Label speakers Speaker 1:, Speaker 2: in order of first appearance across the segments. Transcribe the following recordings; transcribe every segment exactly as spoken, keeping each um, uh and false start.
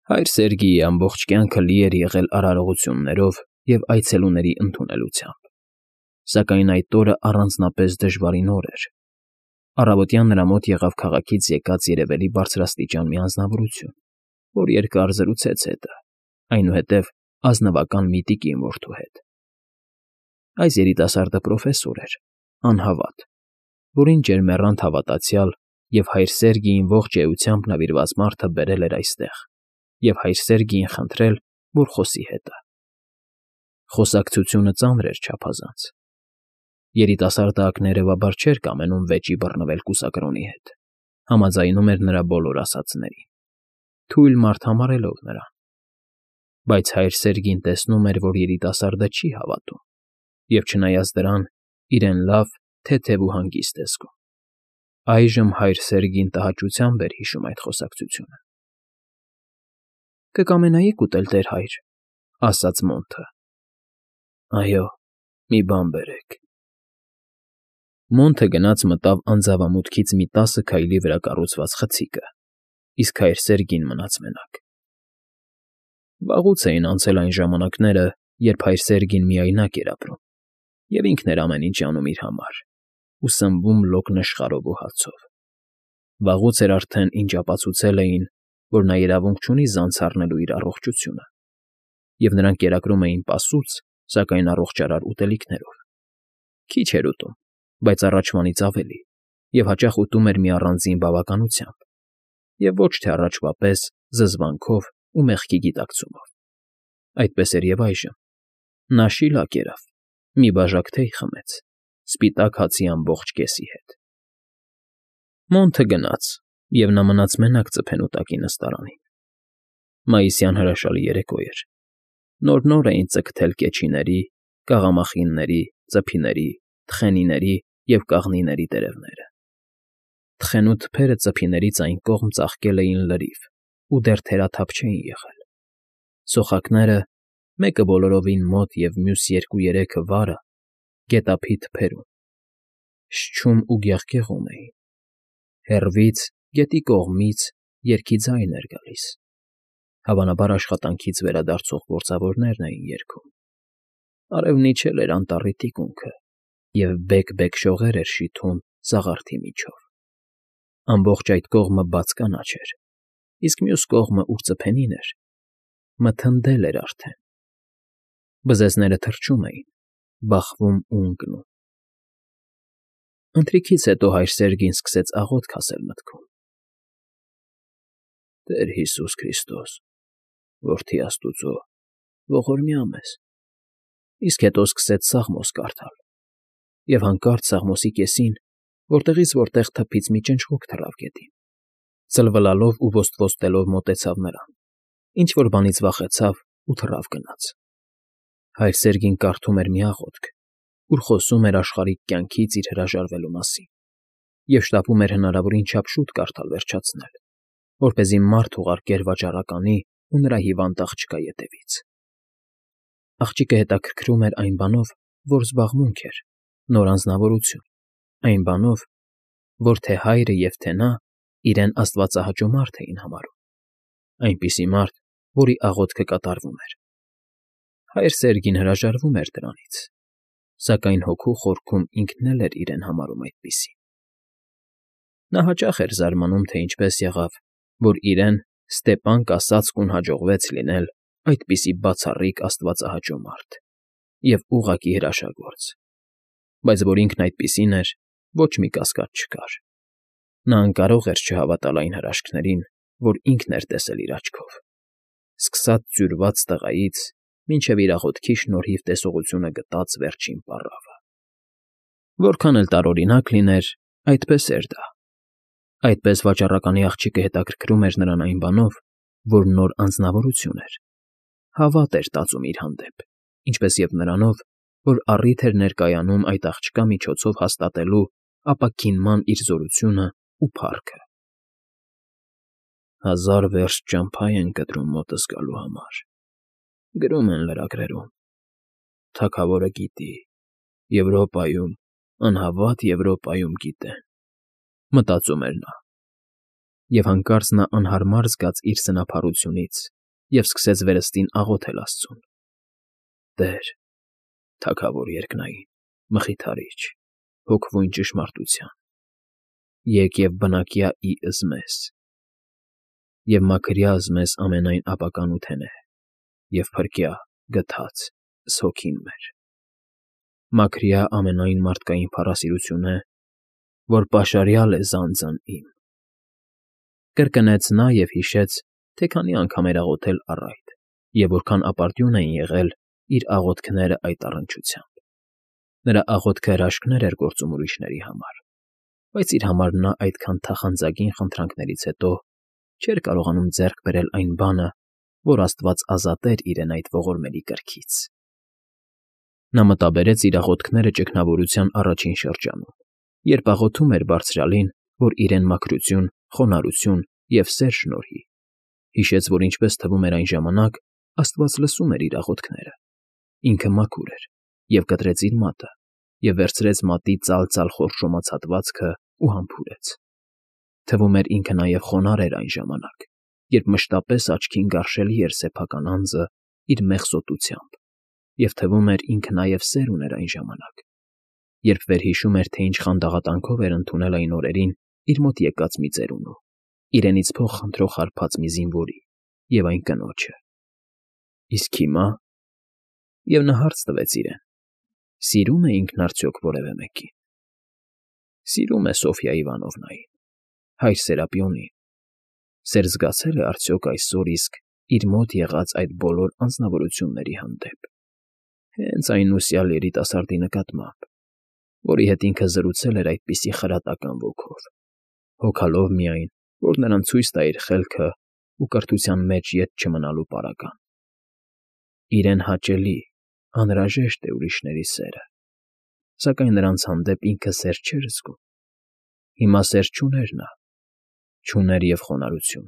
Speaker 1: Հայր Սերգեյի ամբողջ կյանքը լի էր եղել արարողություններով և այցելուների ընդունելությամբ, սակայն այդ օրը առանձնապես դժվարին օր էր. առավոտյան նրա մոտ եղավ քաղաքից եկած երևելի բարձրաստիճան մի անձնավորություն, որ երկար զրուցեց հետը, այնուհետև ազնվական մի տիկին որդու հետ։ Այս երիտասարդը պրոֆեսոր էր, անհավատ, որին ջերմեռանդ հավատացյալ և հայր Սերգեյին ողջ էությամբ նվիրված մարդը բերել էր այստեղ և հայր Սերգեյին խնդրել, որ խոսի հետը։ Խոսակցությունը ծանր էր չափազանց։ Երիտասարդը ակներևաբար չէր կամենում վեճի բռնվել կուսակրոնի հետ, համաձայնում էր նրա բոլոր ասածներին, թույլ մարդ համարելով նրան։ Բայց հայր Սերգեյն տեսնում էր, որ երիտասարդը չի հավատում և, չնայած դրան, իրեն լավ, թեթև ու հանգիստ է զգում։ Այժմ հայր Սերգեյն տհաճությամբ էր հիշում այդ խոսակցությունը։ ֊ Կկամենայի՞ք ուտել, տեր հայր,֊ ասաց Մոնթը։ ֊ Այո, մի բան բերեք։ Մոնթը գնաց մտավ անձավամուտքից մի տասը քայլի վրա կառուցված խցիկը, իսկ հայր Սերգեյն մնաց մենակ։ Վաղուց էին անցել այն ժամանակները, երբ հայր Սերգեյն միայնակ էր ապրում և ինքն էր ամեն ինչ անում իր համար ու սնվում լոկ նշխարով ու հացով։ Վաղուց էր արդեն, ինչ ապացուցել էին, որ նա իրավունք չունի զանց առնելու իր առողջությունը, և նրան կերակրում էին պասուց, սակայն առողջարար ուտելիքներով։ Քիչ էր ուտում, բայց առաջվանից ավելի, և հաճախ ուտում էր մի առանձին բավականությամբ, և ոչ թե առաջվա պես զզվանքով ու մեղքի գիտակցումով։ Այդպես էր և այժմ. նա շիլակ ելավ, մի բաժակ թեյ խմեց, սպիտակ հացի ամբողջ կեսի հետ։ Մոնթը գնաց, և նա մնաց մենակ ծփենոտակի նստարանին։ Մայիսյան հրաշալի երեկո էր։ Նոր֊նոր էին ծգթել կեչիների, կաղամախինների, ծփիների, թխենիների և կաղնիների տերևները։ Թխենու թփերը ծփիներից այն կողմ ծաղկել էին լրիվ ու դեռ թերաթափ չէին եղել։ Սոխակները, մեկը բոլորովին մոտ և մյուս երկու֊երեքը վարը, գետափի թփերում, շչում ու գեղգեղում էին։ Հեռվից, գետի կողմից երգի ձայն էր գալիս, հավանաբար աշխատանքից վերադարձող գործավորներն էին երգում։ Արևն իջել էր անտառի թիկունքը և բեկ֊բեկ շողեր էր շիթում սաղարթի միջով։ Ամբողջ այդ կողմը բաց կանաչ էր, իսկ մյուս կողմը, ուր ծփենին էր, մթնդել էր արդեն։ Բզեզները թռչում էին, բախվում ու ընկնում։ Ընթրիքից հետո հայր Սերգեյն սկսեց աղոթք ասել մտքում. «Տեր Հիսուս Քրիստոս, որդի աստուծո, ողորմյա մեզ», իսկ հետո սկսեց Սաղմոս կարդալ, և հանկարծ Սաղմոսի կեսին, որտեղից որտեղ թփից մի ճնճղոք թռավ գետին, ծլվլալով ու ոստվոստելով մոտեցավ նրան, ինչ֊որ բանից վախեցավ ու թռավ գնաց։ Հայր Սերգեյն կարդում էր մի աղոթք, ուր խոսում էր աշխարհիկ կյանքից իր հրաժարվելու մասին, և շտապում էր հնարավորին չափ շուտ կարդալ վերջացնել, որպեսզի մարդ ուղարկեր վաճառականի ու նրա հիվանդ աղջկա ետևից։ Աղջիկը հետաքրքրում էր այն բանով, որ զբաղմունք էր, նոր անձնավորություն, այն բանով, որ թե հայրը և թե նա իրեն աստվածահաճո մարդ էին համարում, այնպիսի մարդ, որի աղոթքը կատարվում էր։ Հայր Սերգեյն հրաժարվում էր դրանից, սակայն հոգու խորքում ինքն էլ էր իրեն համարում այդպիսին։ Նա հաճախ էր զարմանում, թե ինչպես եղավ, որ իրեն Ստեպան Կասացկուն հաջողվեց լինել այդպիսի բացառիկ աստվածահաճո մարդ և ուղղակի հրաշագործ, բայց որ ինքն այդպիսին էր, ոչ մի կասկած չկար։ Նա անկարող էր չհավատալ այն հրաշքներին, որ ինքն էր տեսել իր աչքով, սկսած ձյուրված տղայից մինչև իր աղոթքի շնորհիվ տեսողությունը գտած վերջին պառավը։ Որքան էլ տարօրինակ լիներ, այդպես էր դա։ Այդպես վաճառականի աղջիկը հետաքրքրում էր նրան այն բանով, որ նոր անձնավորություն էր, հավատ էր տածում իր հանդեպ, ինչպես և նրանով, որ առիթ էր ներկայանում այդ աղջկա միջոցով հաստատելու ապաքինման իր զորությունն ու փառքը։ «Հազար վերստ ճամփա են կտրում մոտս գալու համար, գրում են լրագրերում, թագավորը գիտի, Եվրոպայում, անհավատ Եվրոպայում գիտեն», մտածում էր նա, և հանկարծ նա անհարմար զգաց իր սնափառությունից և սկսեց վերստին աղոթել աստծուն. «Տեր, թագավոր երկնային, մխիթարիչ, հոգվույն ճշմարտության, եկ և բնակյա իըս մեզ, և մաքրյաս մեզ ամենայն ապականութենե, և փրկյա գթած հոգին մեր, մաքրյա ամենայն մարդկային փառասիրությունե, որ պաշարյալ է զանձն իմ»։ Կրկնեց նա և հիշեց, թե քանի անգամ էր աղոթել առ այդ, և որքան ապարդյուն էին եղել իր աղոթքներն այդ առնչությամբ. նրա աղոթքը հրաշքներ էր գործում ուրիշների համար, բայց իր համար նա այդքան թախանձագին խնդրանքներից հետո չէր կարողանում ձեռք բերել այն բանը, որ աստված ազատեր իրեն այդ ողորմելի կրքից։ Նա մտաբերեց իր աղոթքները ճգնավորության առաջին շրջանում, երբ աղոթում էր Բարձրյալին, որ իրեն մաքրություն, խոնարհություն և սեր շնորհի, հիշեց, որ ինչպես թվում էր այն ժամանակ, աստված լսում էր իր աղոթքները, ինքը մաքուր էր, և կտրեց իր մատը, և վերցրեց մատի ծալ֊ծալ խորշոմած հատվածն ու համբուրեց։ Թվում էր ինքը նաև խոնարհ էր այն ժամանակ, երբ մշտապես աչքին գարշելի էր սեփական անձը իր մեղսոտությամբ, և թվում էր ինքը նաև սեր ուներ այն ժամանակ, երբ վերհիշում էր, թե ինչ խանդաղատանքով էր ընդունել այն օրերին իր մոտ եկած մի ծերունու, իրենից փող խնդրող հարբած մի զինվորի և այն կնոջը։ Իսկ հիմա… Եվ նա հարց տվեց իրեն. սիրո՞ւմ է ինքն արդյոք որևէ մեկին։ Սիրում է Սոֆյա Իվանովնային, հայր Սերապիոնին, սեր զգացե՞լ է արդյոք այսօր իսկ իր մոտ եղած այդ բոլոր անձնավորությունների հանդեպ, հենց այն ուսյալ երիտասարդի նկատմամբ, որի հետ ինքը զրուցել էր այդպիսի խրատական ոգով, հոգալով միայն, որ նրան ցույց տա իր խելքն ու կրթության մեջ ետ չմնալու պարագան։ Իրեն հաճելի, անհրաժեշտ է ուրիշների սերը, սակայն նրանց հանդեպ ինքը սեր չէր զգում։ Հիմա սեր չուներ նա, չուներ և խոնարհություն,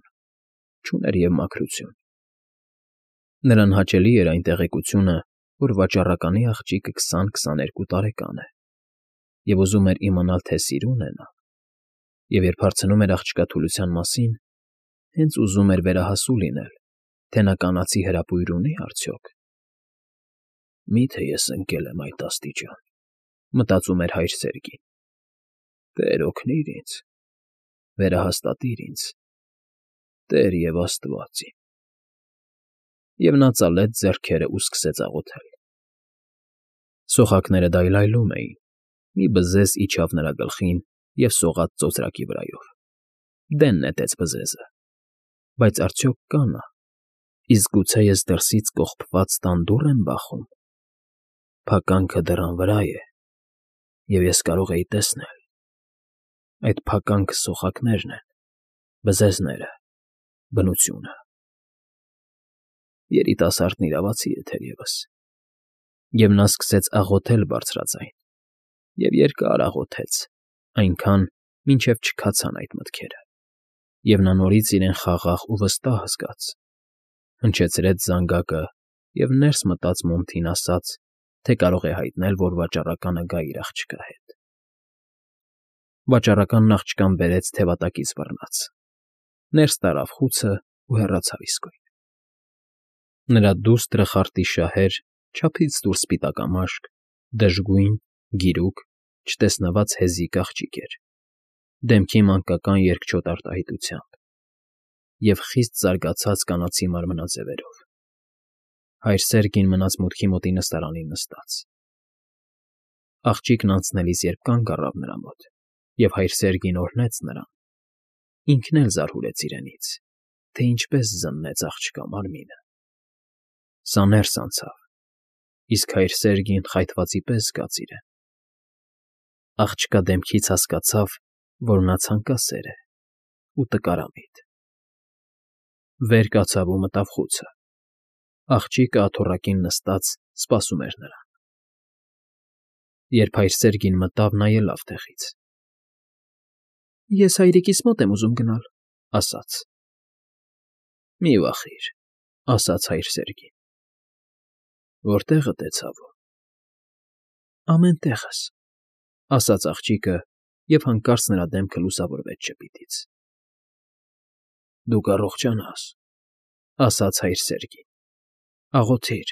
Speaker 1: չուներ և մաքրություն։ Նրան հաճելի էր այն տեղեկությունը, որ վաճառականի աղջիկը քսան֊քսաներկու տարեկան է, և ուզում էր իմանալ, թե սիրո՞ւն է նա, և երբ հարցնում էր աղջկա թուլության մասին, հենց ուզում էր վերահասու լինել, թե նա կանացի հրապույր ունի՞ արդյոք։ «Մի՞թե ես ընկել եմ այդ աստիճան», մտածում էր հայր Սերգին։ «Տեր օգնիր ինձ, վերահաստատիր ինձ, Տեր և Աստված իմ»։ Եվ նա ծալեց ձեռքերն ու սկսեց աղոթել։ Սոխակները դայլայլում էին, մի բզեզ իջավ նրա գլխին և սողաց ծոծրակի վրայով։ Դեն նետեց բզեզը։ Բայց արդյոք կա՞ նա, իսկ գուցե ես դրսից կողպված տան դուռ եմ բախում։ Փականքը դռան վրա է, և ես կարող էի տեսնել։ Այդ փականքը սոխակներն են, բզեզները, բնությունը։ Երիտասարդն իրավացի է թերևս։ Եվ նա սկսեց աղոթել բարձրաձայն, և երկար աղոթեց, այնքան, մինչև չքացան այդ մտքերը, և նա նորից իրեն խաղաղ ու վստահ զգաց, հնչեցրեց զանգակը և ներս մտած Մոնթին ասաց, թե կարող է հայտնել, որ վաճառականը գա իր աղջկա հետ։ Վաճառականն աղջկան բերեց թևատակից բռնած, ներս տարավ խուցն ու հեռացավ իսկույն։ Նրա դուստրը խարտիշահեր, չափից դուրս սպիտակամաշկ, դժգույն, գիրուկ, չտեսնված հեզիկ աղջիկ էր, դեմքի մանկական երկչոտ արտահայտությամբ և խիստ զարգացած կանացի մարմնաձևերով։ Հայր Սերգին մնաց մուտքի մոտի նստարանին նստած։ Աղջիկն անցնելիս երբ կանգ առավ նրա մոտ, և հայր Սերգին օրհնեց նրան, ինքն էլ զարհուրեց իրենից, թե ինչպես զննեց աղջկա մարմինը։ Սա ներս անցավ, իսկ հայր Սերգին խայթվածի պես զգաց իրեն։ Աղջկա դեմքից հասկացավ, որ նա ցանկասեր է ու տկարամիտ։ Վեր կացավ ու մտավ խուցը։ Աղջիկը աթոռակին նստած սպասում էր նրան։ Երբ հայր Սերգին մտավ, նա ելավ տեղից։ ֊ Ես հայրիկիս մոտ եմ ուզում գնալ, ֊ ասաց։ ֊ Մի վախիր, ֊ ասաց հայր Սերգին։ ֊ Որտեղդ է ցավում։ ֊ Ամեն տեղս, ֊ ասաց աղջիկը, և հանկարծ նրա դեմքը լուսավորվեց ժպիտից։ ֊ Դու կառողջանաս, ասաց հայր Սերգին։ Աղոթիր։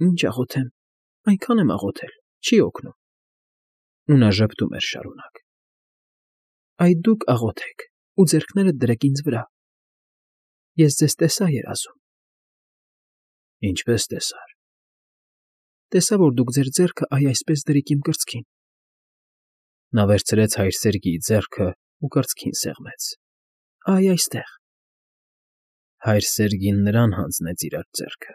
Speaker 1: Ինչ աղոթեմ, այնքան եմ աղոթել, չի օգնում։ Ու նա ժպտում էր շարունակ։ Այ դուք աղոթեք ու ձեռքներդ դրեք ինձ վրա։ Ես ձեզ տեսա երազում։ Ինչպես տեսար։ Տեսա, որ դուք ձեր ձեռքը այ այսպես դրիք իմ կրծքին։ Նա վերցրեց հայր Սերգիի ձեռքը ու կրծքին սեղմեց։ Այ այստեղ։ Հայր Սերգին նրան հանձնեց իր ձեռքը։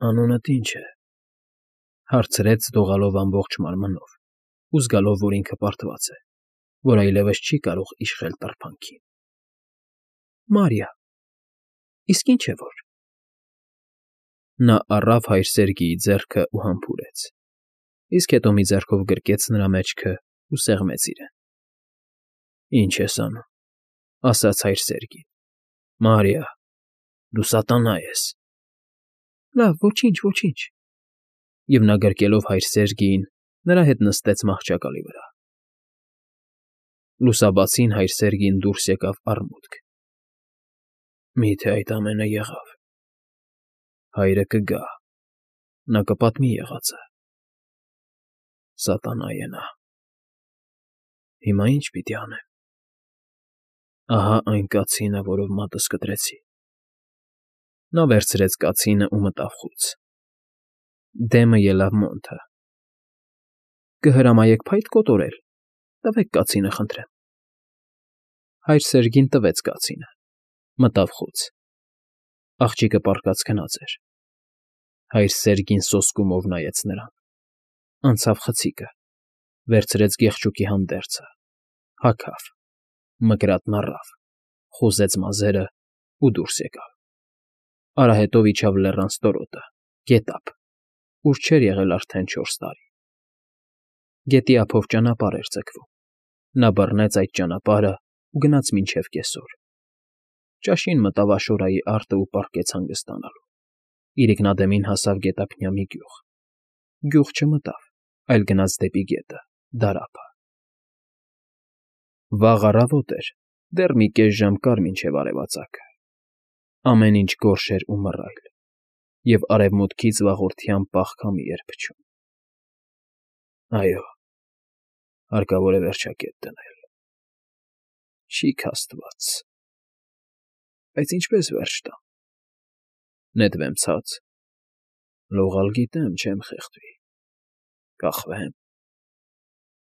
Speaker 1: Անունդ ի՞նչ է, հարցրեց դողալով ամբողջ մարմնով ու զգալով, որ ինքը պարտված է, որ այլևս չի կարող իշխել տրբանքին։ Մարիա։ Իսկ ինչ է որ։ Նա առավ հայր Սերգիի ձեռքը ու համբուրեց, իսկ հետո մի ձեռքով գրկեց նրա մեջքը ու սեղմեց իրեն։ Ինչ ես անում, ասաց հայր Սերգին։ Մարիա, դու սատանա ես։ Լավ, ոչինչ, ոչինչ։ Եվ նա գրկելով հայր Սերգիին, նրա հետ նստեց մահճակալի վրա։ Լուսաբացին հայր Սերգին դուրս եկավ արմուտք։ Մի՞թե այդ ամենը եղավ։ Հայրը կգա, նա կպատմի եղածը։ Սատանա է նա։ Հիմա ի՞նչ պիտի անեմ։ Ահա այն կացինը, որով մատս կտրեցի։ Նա վերցրեց կացինը ու մտավ խուց։ Դեմը ելավ մոնթը։ Կհրամայեք փայտ կոտորել, տվեք կացինը, խնդրեմ։ Հայր Սերգին տվեց կացինը, մտավ խուց։ Աղջիկը պառկած քնած էր։ Հայր Սերգին սոսկումով նայեց նրան։ Անցավ խցիկը, վերցրեց գեղչուկի հանդերձը, հագավ, մկրատն առավ, խոզեց մազերը ու դուրս եկավ։ Արահետով իջավ լեռան ստորոտը, գետափ, ուր չէր եղել արդեն չորս տարի։ Գետի ափով ճանապարհ էր ձգվում։ Նա բռնեց այդ ճանապարհը ու գնաց մինչև կեսօր։ Ճաշին մտավ Աշորայի արտը ու պառկեց հանգստանալու։ Իրիկնադեմին հասավ գետափնյա մի գյուղ։ Գյուղ չմտավ, այլ գնաց դեպի գետը, դարափը։ Վաղ առավոտ էր, դեռ մի կես ժամ կար մինչև արևածագը։ Ամեն ինչ գորշ էր ու մռայլ, և արևմուտքից վաղորդյան պաղ քամի էր փչում։ Այո, հարկավոր է վերջակետ դնել։ Շիկ աստված։ Բայց ինչպես վերջ տամ։ Նետվեմ ցած։ Լողալ գիտեմ, չեմ խեղդվի։ Կախվեմ։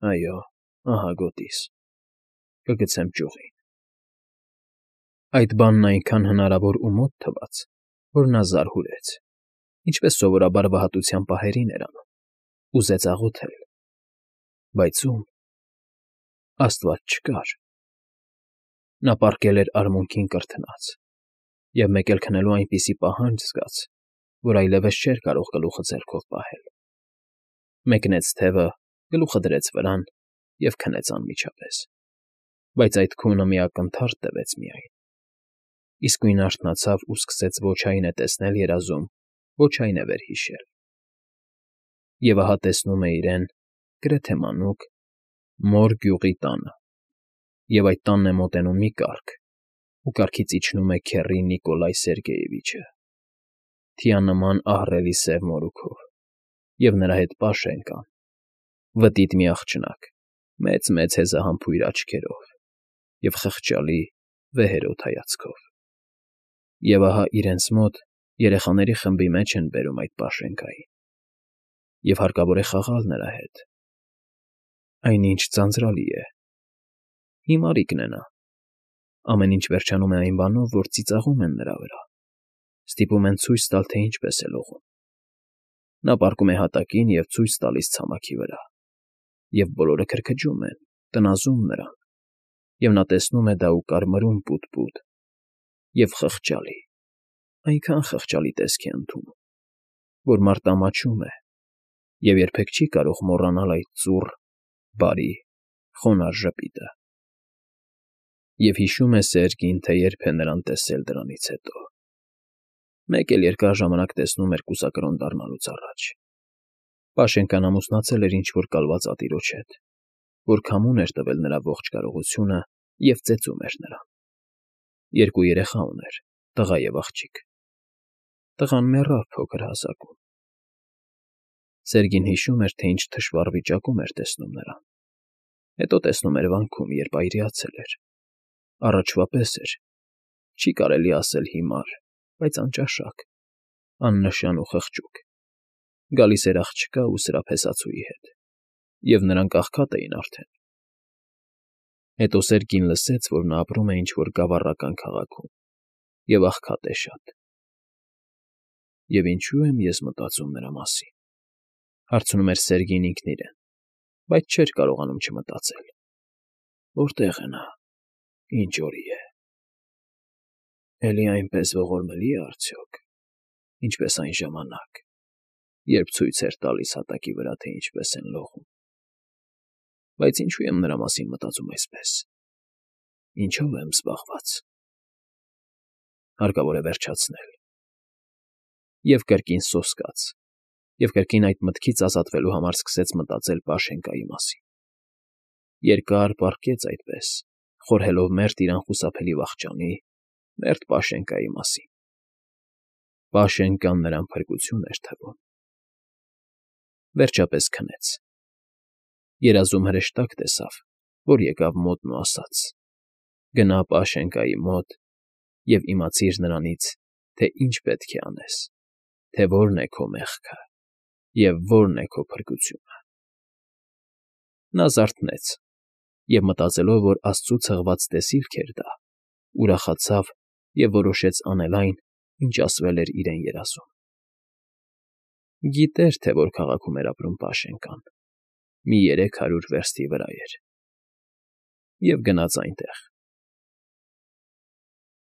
Speaker 1: Այո, ահա գոտիս։ Կգցեմ ճյուղին։ Այդ բանն այնքան հնարավոր ու մոտ թվաց, որ նա զարհուրեց, ինչպես սովորաբար վհատության պահերին էր անում, ուզեց աղոթել, բայց ում։ Աստված չկար։ Նա պառկել էր արմունկին կրթնած, և մեկ էլ քնելու այնպիսի պահանջ զգաց, որ այլևս չէր կարող գլուխը ձեռքով պահել։ Մեկնեց թևը, գլուխը դրեց վրան և քնեց անմիջապես, բայց այդ քունը մի ակնթարթ տվեց միայն։ Իսկույն արթնացավ ու սկսեց ոչ այն է տեսնել երազում, ոչ այն է վերհիշել։ Եվ ահա տեսնում է իրեն, գրեթե մանուկ, Մոր գյուղի տանը, և այդ տանն է մոտենում մի կառք, ու կառքից իջնում է քեռի Նիկոլայ Սերգեյևիչը, թիանման ահռելի սև մորուքով, և նրա հետ Պաշեն կան, վտիտ մի աղջնակ, մեծ֊մեծ հեզահամբույր աչքերով և խղճալի, վեհերոտ հայացքով։ Եվ ահա իրենց մոտ երեխաների խմբի մեջ են բերում այդ Պաշենկային, և հարկավոր է խաղալ նրա հետ։ Այն ինչ ձանձրալի է։ Հիմարիկն է նա։ Ամեն ինչ վերջանում է այն բանով, որ ծիծաղում են նրա վրա, ստիպում են ցույց տալ, թե ինչպես է լողում։ Նա պառկում է հատակին և ցույց տալիս ցամաքի վրա, և բոլորը քրքջում են, տնազում նրան, և նա տեսնում է դա ու կարմրում պուտ֊պուտ, և խղճալի, այնքան խղճալի տեսք է ընդունում, որ մարդ ամաչում է և երբեք չի կարող մոռանալ այդ ծուռ, բարի, խոնարհ ժպիտը։ Եվ հիշում է Սերգին, թե երբ է նրան տեսել դրանից հետո։ Մեկ էլ երկար ժամանակ տեսնում էր կուսակրոն դառնալուց առաջ։ Պաշենկան ամուսնացել էր ինչ֊որ կալված ատիրոջ հետ, որ քամուն էր տվել նրա ողջ կարողությունը և ծեծում էր նրան։ Երկու երեխա ուներ՝ տղա և աղջիկ։ Տղան մեռավ փոքր հասակում։ Սերգին հիշում էր, թե ինչ թշվառ վիճակում էր տեսնում նրան, հետո տեսնում էր վանքում, երբ այրիացել էր, առաջվա պես էր, չի կարելի ասել հիմար, բայց անճաշակ, աննշան ու խղճուկ, գալիս էր աղջկա ու սրափեսացուի հետ, և նրանք աղքատ էին արդեն։ Հետո Սերգին լսեց, որ նա ապրում է ինչ֊որ գավառական քաղաքում և աղքատ է շատ։ «Եվ ինչո՞ւ եմ ես մտածում նրա մասին,֊ հարցնում էր Սերգին ինքն իրեն, բայց չէր կարողանում չմտածել. որտե՞ղ է նա, ինչ օրի է, էլի այնպես ողորմելի է արդյոք, ինչպես այն ժամանակ, երբ ցույց էր տալիս հատակի վրա, թե ինչպես են լողում։ Բայց ինչո՞ւ եմ նրա մասին մտածում այսպես, ինչո՞վ եմ զբաղված։ Հարկավոր է վերջացնել»։ Եվ կրկին սոսկաց, և կրկին այդ մտքից ազատվելու համար սկսեց մտածել Պաշենկայի մասին։ Երկար պառկեց այդպես, խորհելով մերթ իր անխուսափելի վախճանի, մերթ Պաշենկայի մասին։ Պաշենկան նրան փրկություն էր թվում։ Վերջապես քնեց։ Երազում հրեշտակ տեսավ, որ եկավ մոտն ու ասաց. «Գնա Պաշենկայի մոտ և իմացիր նրանից, թե ինչ պետք է անես, թե որն է քո մեղքը և որն է քո փրկությունը»։ Նա զարթնեց և, մտածելով, որ աստծու ցղված տեսիլք էր դա, ուրախացավ և որոշեց անել այն, ինչ ասվել էր իրեն երազում։ Գիտեր, թե որ քաղաքում էր ապրում Պաշենկան, մի երեք հարյուր վերստի վրա էր, և գնաց այնտեղ։